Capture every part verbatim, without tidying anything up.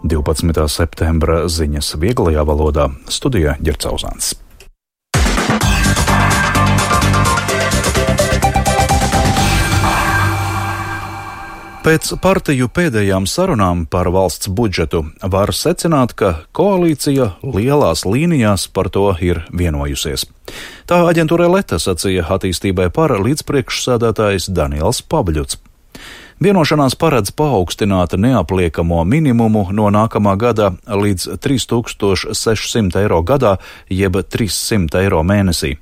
divpadsmitā septembra ziņas vieglajā valodā. Studijā Ģerts Auzāns. Pēc partiju pēdējām sarunām par valsts budžetu var secināt, ka koalīcija lielās līnijās par to ir vienojusies. Tā aģentūrai Leta sacīja attīstībai par līdzpriekšsēdētājs Daniels Pabļuts. Vienošanās paredz paaugstināt neapliekamo minimumu no nākamā gada līdz trīs tūkstoši sešsimt eiro gadā, jeb trīssimt eiro mēnesī.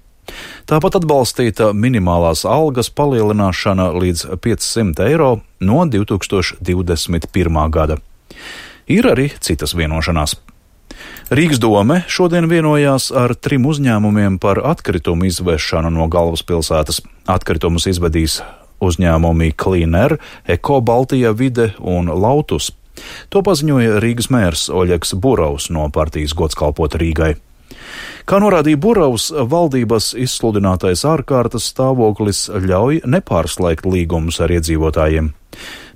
Tāpat atbalstīta minimālās algas palielināšana līdz piecsimt eiro no divi tūkstoši divdesmit pirmā gada. Ir arī citas vienošanās. Rīgas dome šodien vienojās ar trim uzņēmumiem par atkritumu izvešanu no galvaspilsētas. Atkritumus izvedīs uzņēmumi Clean Air, Eko Baltija vide un Lautus. To paziņoja Rīgas mērs Oļegs Burovs no partijas Godskalpot Rīgai. Kā norādīja Burovs, valdības izsludinātais ārkārtas stāvoklis ļauj nepārslēgt līgumus ar iedzīvotājiem.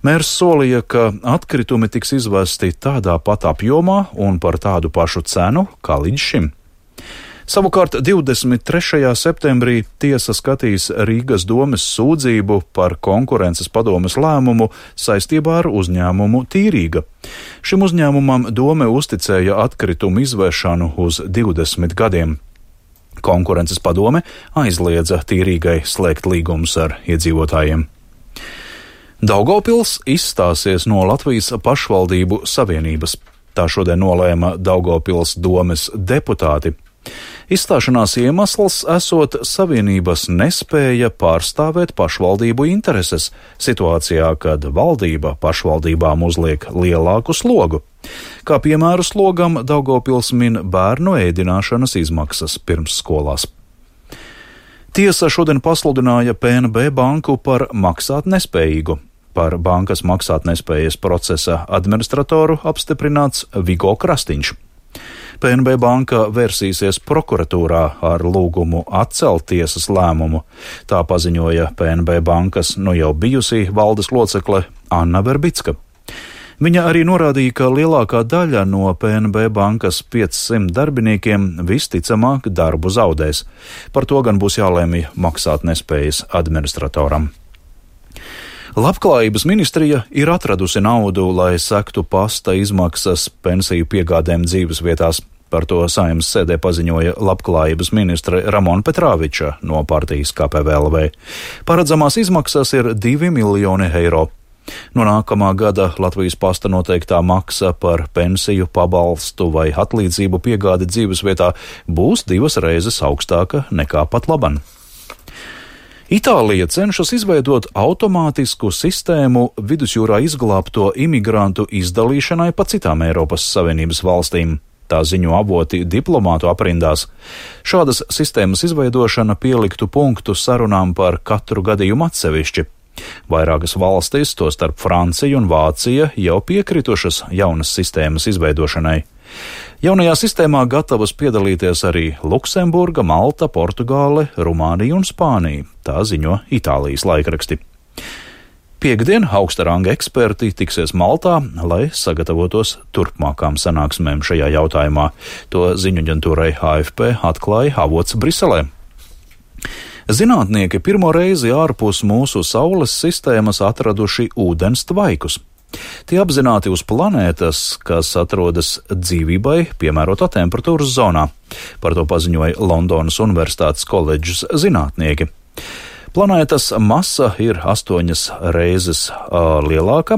Mērs solīja, ka atkritumi tiks izvesti tādā pat apjomā un par tādu pašu cenu kā līdz šim. Savukārt divdesmit trešajā septembrī tiesa skatīs Rīgas domes sūdzību par konkurences padomes lēmumu saistībā ar uzņēmumu Tīrīga. Šim uzņēmumam dome uzticēja atkritumu izvešanu uz divdesmit gadiem. Konkurences padome aizliedza Tīrīgai slēgt līgumus ar iedzīvotājiem. Daugavpils izstāsies no Latvijas pašvaldību savienības. Tā šodien nolēma Daugavpils domes deputāti. Izstāšanās iemesls esot savienības nespēja pārstāvēt pašvaldību intereses situācijā, kad valdība pašvaldībām uzliek lielāku slogu. Kā piemēru slogam Daugavpils min bērnu ēdināšanas izmaksas pirmsskolās. Tiesa šodien pasludināja P N B banku par maksātnespējīgu. Par bankas maksātnespējas procesa administratoru apstiprināts Vigo Krastiņš. P N B banka vērsīsies prokuratūrā ar lūgumu atcelt tiesas lēmumu. Tā paziņoja P N B bankas nu jau bijusī valdes locekle Anna Verbicka. Viņa arī norādīja, ka lielākā daļa no P N B bankas piecsimt darbiniekiem visticamāk darbu zaudēs. Par to gan būs jālēmj maksātnespējas administratoram. Labklājības ministrija ir atradusi naudu, lai sektu pasta izmaksas pensiju piegādēm dzīves vietās. Par to Saeimas sēdē paziņoja Labklājības ministre Ramona Petrāviča no partijas K P V L V. Paredzamās izmaksas ir divi miljoni eiro. No nākamā gada Latvijas pasta noteiktā maksa par pensiju, pabalstu vai atlīdzību piegādi dzīves vietā būs divas reizes augstāka nekā pat laban. Itālija cenšas izveidot automātisku sistēmu vidusjūrā izglābto imigrantu izdalīšanai pa citām Eiropas Savienības valstīm. Tā ziņo avoti diplomātu aprindās. Šādas sistēmas izveidošana pieliktu punktu sarunām par katru gadījumu atsevišķi. Vairākas valstis, tostarp Francija un Vācija, jau piekritušas jaunas sistēmas izveidošanai. Jaunajā sistēmā gatavas piedalīties arī Luksemburga, Malta, Portugāle, Rumānija un Spānija, tā ziņo Itālijas laikraksti. Piektdien augsta ranga eksperti tiksies Maltā, lai sagatavotos turpmākām sanāksmēm šajā jautājumā. To ziņu aģentūrai A F P atklāja avots Briselē. Zinātnieki pirmo reizi ārpus mūsu Saules sistēmas atraduši ūdens tvaikus. Tie apzināti uz planētas, kas atrodas dzīvībai piemērotā temperatūras zonā. Par to paziņoja Londonas Universitātes koledžas zinātnieki. Planētas masa ir astoņas reizes uh, lielāka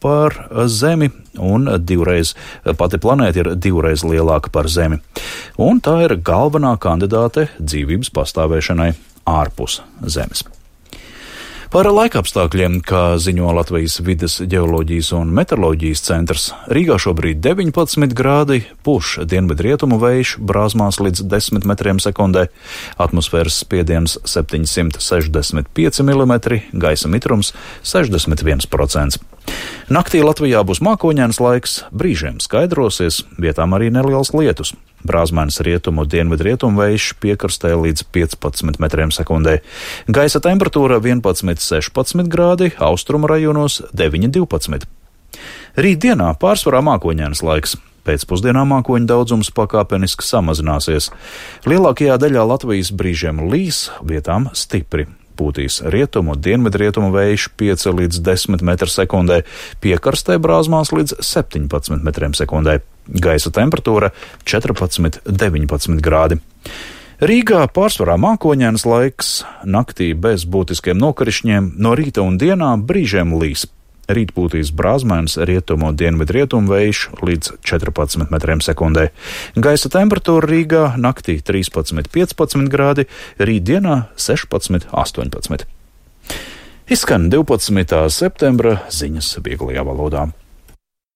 par Zemi, un divreiz pati planēta ir divreiz lielāka par Zemi. Un tā ir galvenā kandidāte dzīvības pastāvēšanai ārpus Zemes. Par laikapstākļiem, kā ziņo Latvijas vides ģeoloģijas un meteoroloģijas centrs, Rīgā šobrīd deviņpadsmit grādi, pūš dienvidrietumu vējš brāzmās līdz desmit metriem sekundē, atmosfēras spiediens septiņsimt sešdesmit pieci milimetri, gaisa mitrums sešdesmit viens procents. Naktī Latvijā būs mākoņains laiks, brīžiem skaidrosies, vietām arī neliels lietus. Brāzmainas rietumu dienvidrietumu vējš piekrastē līdz piecpadsmit metriem sekundē. Gaisa temperatūra vienpadsmit sešpadsmit grādi, austrumu rajonos deviņi divpadsmit. Rītdienā pārsvarā mākoņains laiks. Pēcpusdienā mākoņu daudzums pakāpeniski samazināsies. Lielākajā daļā Latvijas brīžiem līs, vietām stipri. Pūtīs rietumu, dienvidrietumu vējš pieci līdz desmit metri sekundē, piekarstē brāzmās līdz septiņpadsmit metriem sekundē. Gaisa temperatūra četrpadsmit līdz deviņpadsmit grādi. Rīgā pārsvarā mākoņains laiks, naktī bez būtiskiem nokrišņiem, no rīta un dienā brīžiem līs. Rīt pūtīs brāzmains rietumu un dienvidrietumu vējš līdz četrpadsmit metriem sekundē. Gaisa temperatūra Rīgā naktī trīspadsmit līdz piecpadsmit grādi, rītdienā sešpadsmit līdz astoņpadsmit. Izskan divpadsmitā septembra ziņas vieglajā valodā.